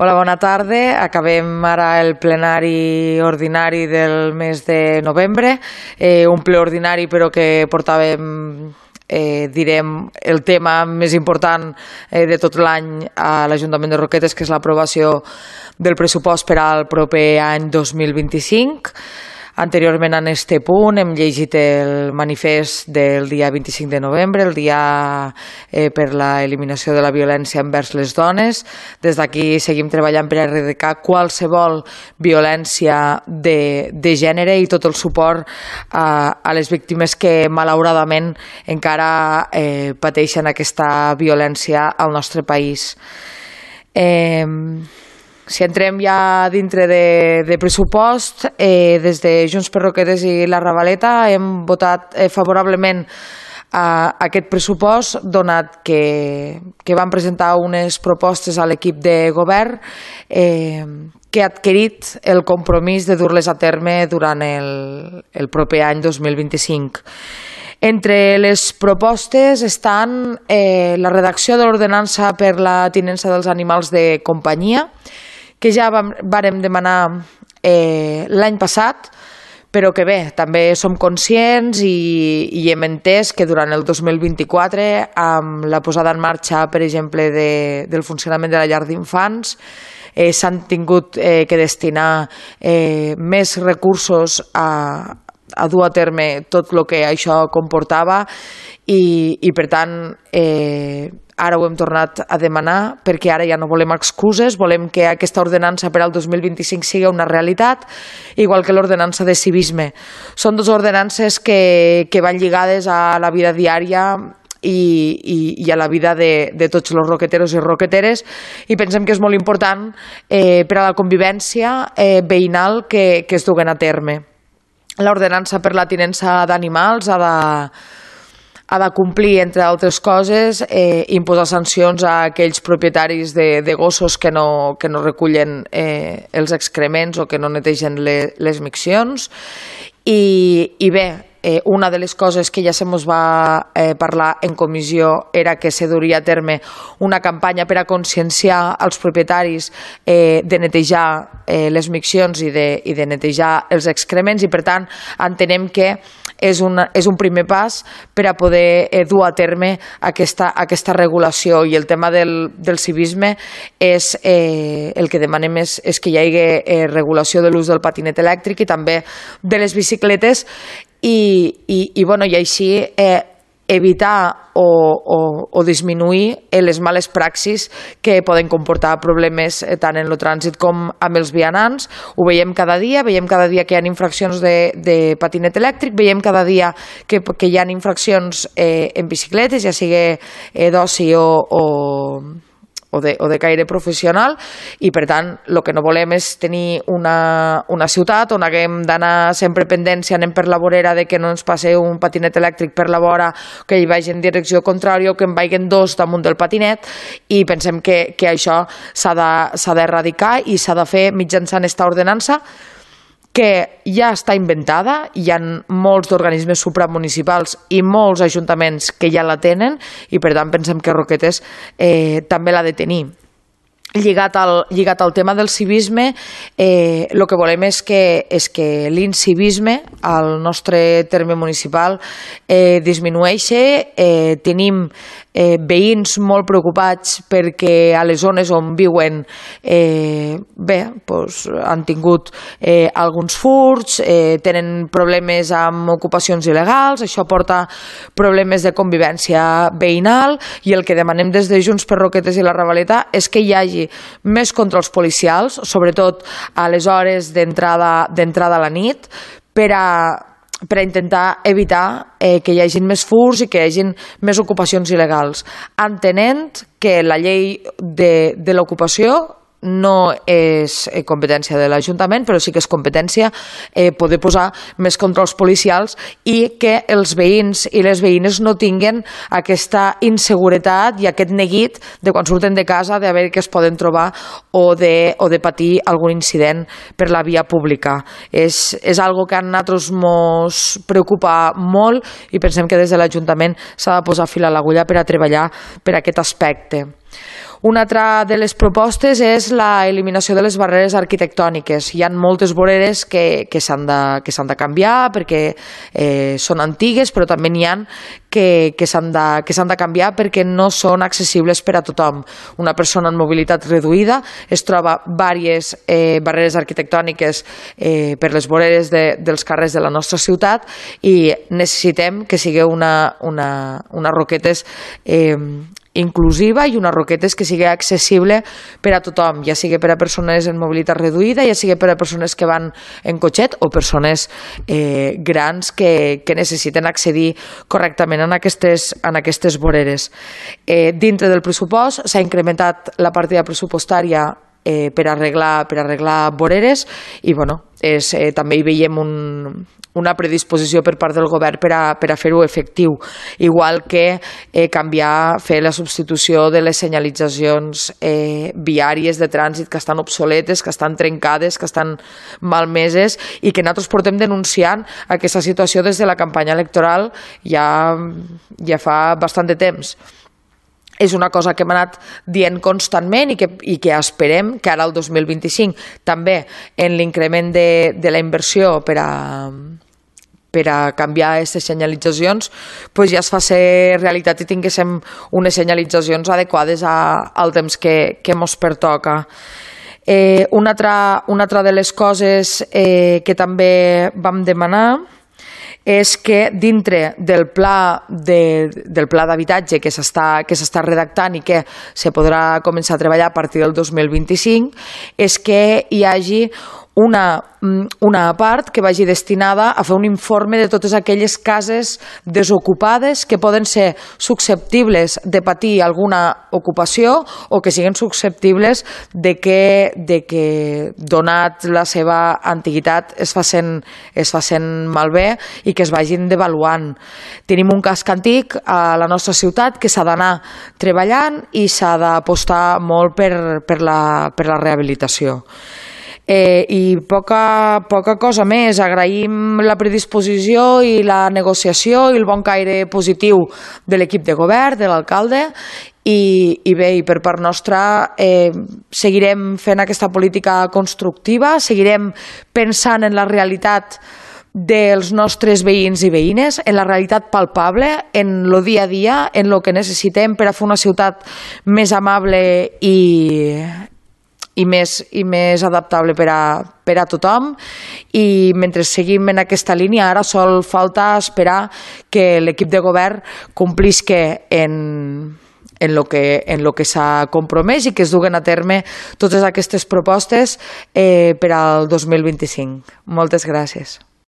Hola, bona tarda. Acabem ara el plenari ordinari del mes de novembre, un ple ordinari però que portàvem, direm, el tema més important de tot l'any a l'Ajuntament de Roquetes, que és l'aprovació del pressupost per al proper any 2025. Anteriorment en este punt hem llegit el manifest del dia 25 de novembre, el dia per l'eliminació de la violència envers les dones. Des d'aquí seguim treballant per erradicar qualsevol violència de gènere i tot el suport a les víctimes que malauradament encara pateixen aquesta violència al nostre país. Si entrem ja dintre de pressupost, des de Junts per Roquetes i la Ravaleta hem votat favorablement a aquest pressupost, donat que van presentar unes propostes a l'equip de govern que ha adquirit el compromís de dur-les a terme durant el proper any 2025. Entre les propostes estan la redacció de l'ordenança per la tinença dels animals de companyia, que ja vàrem demanar l'any passat, però que bé, també som conscients i hem entès que durant el 2024, amb la posada en marxa, per exemple, del funcionament de la llar d'infants, s'han tingut que destinar més recursos a dur a terme tot el que això comportava i per tant ara ho hem tornat a demanar perquè ara ja no volem excuses, volem que aquesta ordenança per al 2025 sigui una realitat, igual que l'ordenança de civisme. Són dues ordenances que van lligades a la vida diària i a la vida de tots els roqueteros i roqueteres, i pensem que és molt important per a la convivència veïnal que es duguen a terme. L'ordenança per la tinença d'animals ha de complir, entre altres coses, imposar sancions a aquells propietaris de gossos que no recullen els excrements o que no netegen les miccions. I bé, una de les coses que ja se mos va parlar en comissió era que se duria a terme una campanya per a conscienciar els propietaris de netejar les miccions i de netejar els excrements, i per tant entenem que és un primer pas per a poder dur a terme aquesta regulació. I el tema del civisme és el que demanem és que hi hagi regulació de l'ús del patinet elèctric i també de les bicicletes i així evitar o disminuir les males praxis que poden comportar problemes tant en el trànsit com amb els vianants. Ho veiem cada dia que hi ha infraccions de patinet elèctric, veiem cada dia que hi ha infraccions en bicicletes, ja sigui d'oci o de caire professional, i per tant el que no volem és tenir una ciutat on haguem d'anar sempre pendents si anem per la vorera de que no ens passe un patinet elèctric per la vora, que hi vagi en direcció contrària o que en vagin dos damunt del patinet, i pensem que això s'ha d'erradicar i s'ha de fer mitjançant esta ordenança que ja està inventada. Hi ha molts organismes supramunicipals i molts ajuntaments que ja la tenen, i per tant pensem que Roquetes també l'ha de tenir. Lligat al tema del civisme, el que volem és que l'incivisme al nostre terme municipal disminueixi. Tenim veïns molt preocupats perquè a les zones on viuen han tingut alguns furts, tenen problemes amb ocupacions il·legals, això porta problemes de convivència veïnal, i el que demanem des de Junts per Roquetes i la Ravaleta és que hi hagi més controls policials, sobretot a les hores d'entrada a la nit, per a intentar evitar que hi hagi més furts i que hi hagi més ocupacions il·legals, entenent que la llei de l'ocupació no és competència de l'Ajuntament, però sí que és competència poder posar més controls policials i que els veïns i les veïnes no tinguen aquesta inseguretat i aquest neguit de quan surten de casa de veure que es poden trobar o de patir algun incident per la via pública. És algo que a nosaltres ens preocupa molt i pensem que des de l'Ajuntament s'ha de posar fil a l'agulla per a treballar per aquest aspecte. Una altra de les propostes és l'eliminació de les barreres arquitectòniques. Hi ha moltes voreres que s'han de canviar perquè són antigues, però també n'hi ha que s'han de canviar perquè no són accessibles per a tothom. Una persona amb mobilitat reduïda es troba diverses barreres arquitectòniques per les voreres dels carrers de la nostra ciutat i necessitem que sigui una roquetes inclusiva i unes roquetes que sigui accessible per a tothom, ja sigui per a persones en mobilitat reduïda, ja sigui per a persones que van en cotxet o persones grans que necessiten accedir correctament en aquestes voreres. Dintre del pressupost s'ha incrementat la partida pressupostària per arreglar voreres i també hi veiem una predisposició per part del govern per a fer-ho efectiu, igual que fer la substitució de les senyalitzacions viàries de trànsit que estan obsoletes, que estan trencades, que estan malmeses i que nosaltres portem denunciant aquesta situació des de la campanya electoral ja fa bastant de temps. És una cosa que hem anat dient constantment i que esperem que ara el 2025 també en l'increment de la inversió per a canviar aquestes senyalitzacions ja es faci realitat i tinguéssim unes senyalitzacions adequades al temps que ens pertoca. Una altra de les coses que també vam demanar és que dintre del pla d'habitatge que s'està redactant i que se podrà començar a treballar a partir del 2025 és que hi hagi una part que vagi destinada a fer un informe de totes aquelles cases desocupades que poden ser susceptibles de patir alguna ocupació o que siguin susceptibles de que donat la seva antiguitat es facin malbé i que es vagin devaluant. Tenim un casc antic a la nostra ciutat que s'ha d'anar treballant i s'ha d'apostar molt per la rehabilitació. I poca cosa més. Agraïm la predisposició i la negociació i el bon caire positiu de l'equip de govern, de l'alcalde i bé, i per part nostra seguirem fent aquesta política constructiva, seguirem pensant en la realitat dels nostres veïns i veïnes, en la realitat palpable, en el dia a dia, en el que necessitem per a fer una ciutat més amable i més adaptable per a tothom i mentre seguim en aquesta línia ara sol falta esperar que l'equip de govern complisca en lo que s'ha compromès i que es duguen a terme totes aquestes propostes per al 2025. Moltes gràcies.